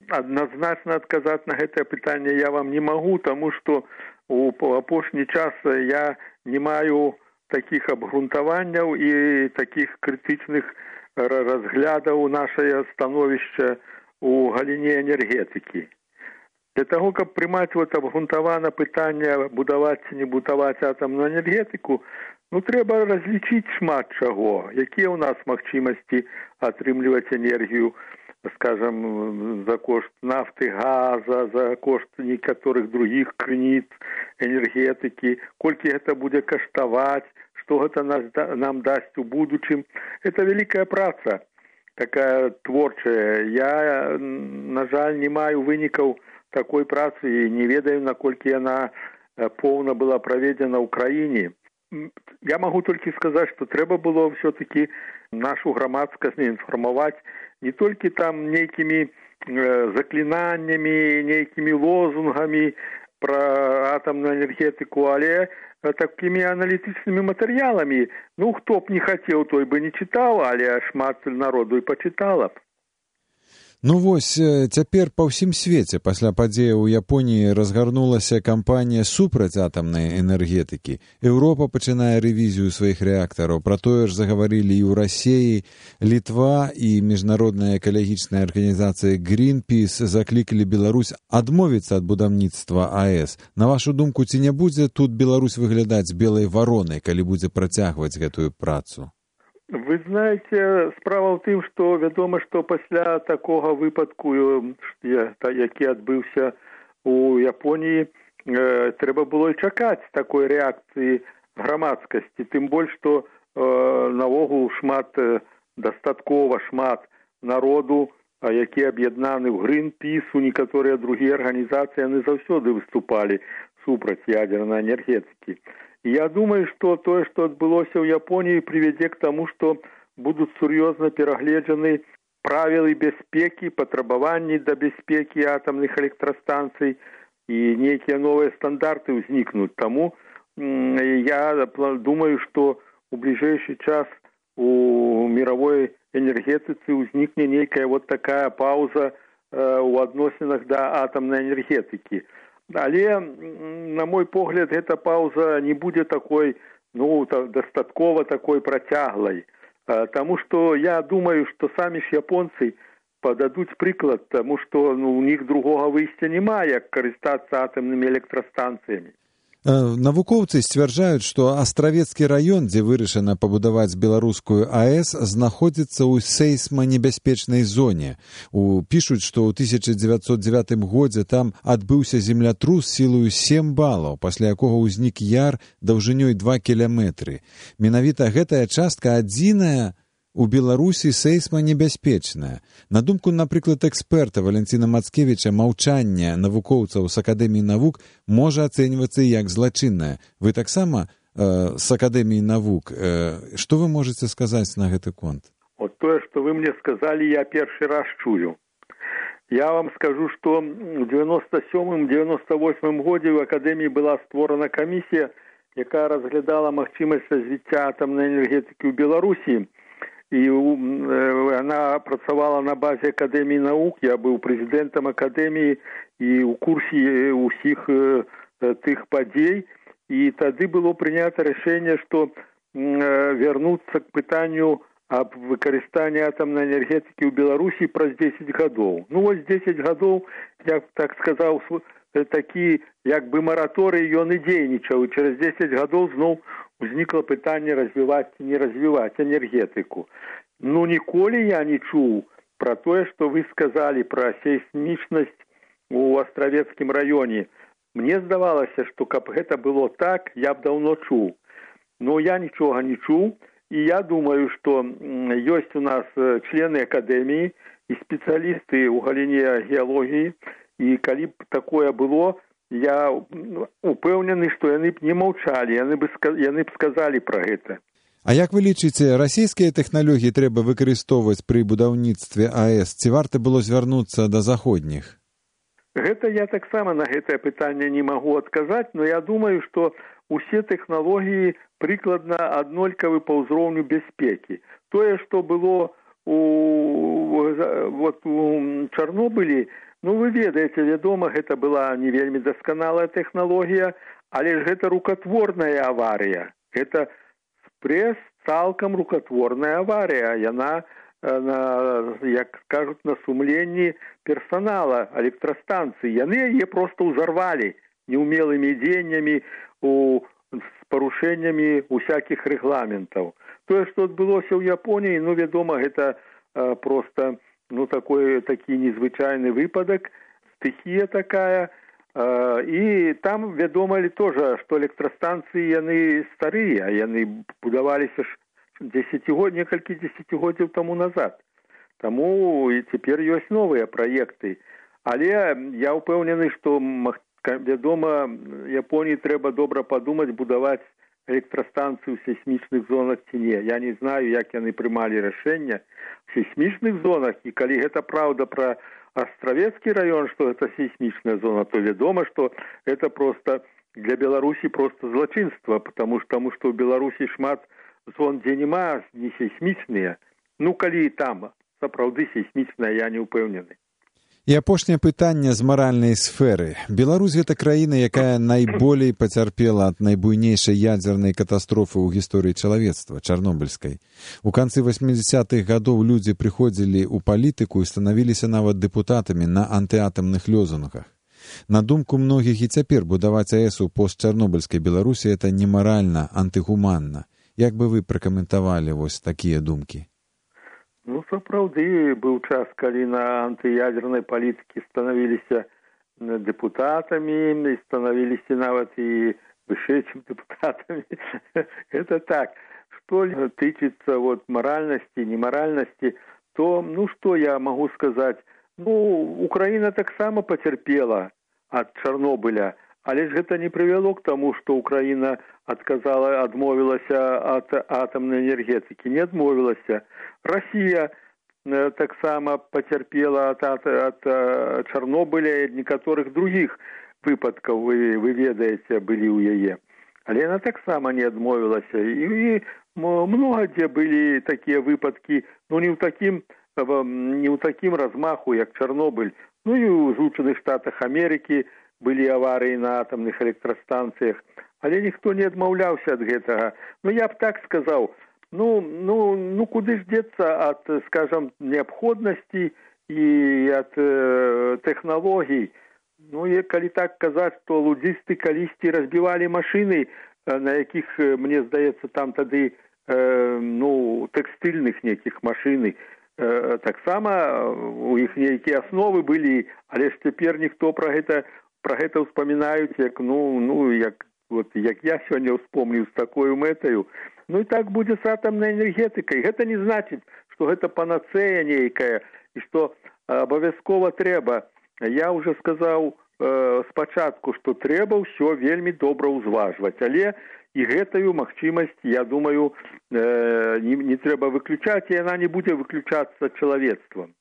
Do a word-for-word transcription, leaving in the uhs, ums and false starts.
адназначна адказаць на гэтае пытанне я вам не магу, таму што у апошні час я не маю такіх абгрунтаванняў і такіх крытычных разглядаў нашае становішча у галіне энергетыкі. Для таго, каб прымаць вот абгрунтавана пытанне будаваць ці не будаваць атамную энергетыку, ну трэба разлічыць шмат чаго, якія ў нас магчымасці атрымліваць энергію, скажем, за кошт нафты, газа, за кошт некаторых других крыніц энергетыкі, колькі гэта будзе каштаваць, што гэта нас, нам дасць у будучым. Это вялікая праца, такая творчая. Я, на жаль, не маю вынікаў такой працы і не ведаю, наколькі яна поўна была праведзена ў краіне. Я магу толькі сказаць, што трэба было ўсё-такі нашу грамадскасць інфармаваць не толькі там нейкімі э, заклінаннямі, нейкімі лозунгамі пра атамную энергетыку, але такімі аналітычнымі матэрыяламі. Ну, хто б не хацеў, той бы не чытаў, але шмат народу і пачытала б. Ну вось, цяпер па ўсім свеце пасля падзеяў у Японіі разгарнулася кампанія супраць атамнай энергетыкі. Еўропа пачынае рэвізію сваіх рэактараў. Пра тое ж загаварылі і ў Расіі. Літва і міжнародная экалагічная арганізацыя Greenpeace заклікалі Беларусь адмовіцца ад будаўніцтва АЭС. На вашу думку, ці не будзе тут Беларусь выглядаць белай варонай, калі будзе працягваць гэтую працу? Вы знаете, справа ў тым, што вядома, што пасля такога выпадку, які адбыўся у Японіі, э, трэба было і чакаць такой рэакцыі грамадскасці. Тым больш, што э, навогул шмат, дастаткова шмат народу, які аб'яднаны ў Greenpeace, у некаторыя другія арганізацыі, яны заўсёды выступалі супраць ядзернай энергетыкі. Я думаю, что то, что отбылося в Японии, приведет к тому, что будут серьезно перегледжены правила безпеки, потребования до безпеки атомных электростанций и некие новые стандарты возникнут. Тому я думаю, что в ближайший час у мировой энергетицы возникнет некая вот такая пауза у адносінах до атомной энергетики. Але, на мой погляд, эта пауза не будзе такой, ну, дастаткова такой працяглай. Таму што я думаю, што самі ж японцы пададуць прыклад, таму што ну, у них другога выйсця няма, як карыстацца атамнымі электрастанцыямі. Навукоўцы сцвярджаюць, што Астравецкі раён, дзе вырашана пабудаваць беларускую АЭС, знаходзіцца ў сейсманебяспечнай зоне. У, пішуць, што ў тысяча дзевяцьсот дзевятым годзе там адбыўся землятрус сілаю сем балаў, пасля якога ўзнік яр даўжынёй два кіламетры. Менавіта гэтая частка адзіная у Беларусі сейсманебяспечная. На думку, напрыклад, эксперта Валентина Мацкевіча, маўчанне навукоўцаў з Акадэміі навук можа ацэньвацца як злачыннае. Вы таксама э, з Акадэміі навук. Э, што вы можаце сказаць на гэты конт? Вот тое, што вы мне сказалі, я першы раз чую. Я вам скажу, што ў девяносто сёмым — девяносто восьмым годзе ў Акадэміі была створана камісія, якая разглядала магчымасць развіцця атамнай энергетыкі ў Беларусі. І она працавала на базе Акадэміі навук, я быў прэзідэнтам Акадэміі і ў курсе ўсіх тых падзей. І тады было прынята рашэнне, што вярнуцца к пытанню аб выкарыстанні атамнай энергетыкі ў Беларусі праз дзесяць гадоў. Ну вось дзесяць гадоў, я так сказаў, такі як бы мараторый, ён і дзейнічаў. І через дзесяць гадоў зноў узнікла пытанне развіваць ці не развіваць энергетыку. Ну, ніколі я не чуў пра тое, што вы сказалі пра сейсмічнасць у Астравецкім раёне. Мне здавалася, што каб гэта было так, я б даўно чуў. Но я нічога не чуў, і я думаю, што ёсць у нас члены Акадэміі і спецыялісты ў галіне геалогіі, і калі б такое было, я упэўнены, што яны б не маўчалі, яны б, яны б сказалі пра гэта. А як вы лічыце, расійскія тэхналогіі трэба выкарыстоўваць пры будаўніцтве АЭС? Ці варта было звярнуцца да заходніх? Гэта я таксама на гэтае пытанне не магу адказаць, но я думаю, што усе тэхналогіі прыкладна аднолькавы па ўзроўню бяспекі. Тое, што было у, вот, у Чарнобылі, Ну, вы ведаеце, вядома, гэта была не вельмі дасканалая тэхналогія, але ж гэта рукатворная аварыя. Гэта спрэс цалкам рукатворная аварыя. Яна, на, як кажуць, на сумленні персонала электрастанцыі. Яны яе проста ўзарвалі неумелымі дзеяннямі у, з парушэннямі усякіх рэгламентаў. Тое, што адбылося ў Японіі, ну, вядома, гэта а, проста ну, такой, такі незвычайны выпадак, стыхія такая. А, і там вядома тоже, што электрастанцыі яны старыя, яны будаваліся ж дзесяцігод, некалькі дзесяцігоддзяў таму назад. Таму і цяпер ёсць новыя праекты. Але я ўпэўнены, што, вядома, Японіі трэба добра падумаць, будаваць электрастанцыі ў сейсмічных зонах ці не. Я не знаю, як яны прымалі рашэнне в сейсмічных зонах, і калі гэта праўда пра Астравецкі раён, што гэта сейсмічная зона, то вядома, што гэта проста для Беларусі проста злачынства, потому што, тому што ў Беларусі шмат зон, дзе нема, не сейсмічныя. Ну, калі і там сапраўды сейсмічная, я не ўпэўнены. І апошняе пытанне з маральнай сферы. Беларусь гэта краіна, якая найболей пацярпела ад найбуйнейшай ядзернай катастрофы ў гісторыі чалавецтва, чарнобыльскай. У канцы васьмідзясятых гадоў людзі прыходзілі ў палітыку і станавіліся нават дэпутатамі на антыатамных лёзунгах. На думку многіх і цяпер будаваць АЭС у постчарнобыльскай Беларусі это немаральна, антыгуманна. Як бы вы пракаментавалі вось такія думкі? Ну, сапраўды, быў час, калі на антыядзернай палітыкі станавіліся дэпутатамі, і станавіліся нават і вышэйшымі дэпутатамі. Это так. Што тычыцца вот, маральнасці, немаральнасці, то, ну, што я магу сказаць? Ну, Украіна таксама пацярпела ад Чарнобыля, але ж гэта не прывяло к таму, што Украіна адказала, адмовілася ад атамнай энергетыкі. Не адмовілася. Россия э, таксама пацярпела ад, ад, ад э, Чарнобыля і некаторых другіх выпадкаў, вы, вы ведаеце, былі ў яе. Але яна таксама не адмовілася. І, і многа дзе былі такія выпадкі, ну не ў такім, не ў такім размаху, як Чарнобыль. Ну і ў Злучаных Штатах Амерыкі былі аварыі на атамных электрастанцыях. Але ніхто не адмаўляўся ад гэтага. Ну я б так сказаў, Ну, ну, ну, куды ж деться от, скажем, необходности и от э, технологий. Ну, и коли так сказать, что лудзисты калісьці разбивали машины, э, на яких, э, мне здаецца, там тады, э, ну, текстильных неких машин, э, так само у іх нейкія основы были, але ж цяпер ніхто про гэта, про гэта ўспамінаюць, як, ну, ну, як, вот, як я сёння ўспомніў з такой мэтаю. Ну і так будзе з атамнай энергетыкай. Гэта не значыць, што гэта панацэя нейкая і што абавязкова трэба. Я ўжо сказаў э, спачатку, што трэба ўсё вельмі добра ўзважваць, але і гэтую магчымасць, я думаю, э, не, не трэба выключаць, і яна не будзе выключацца чалавецтвам.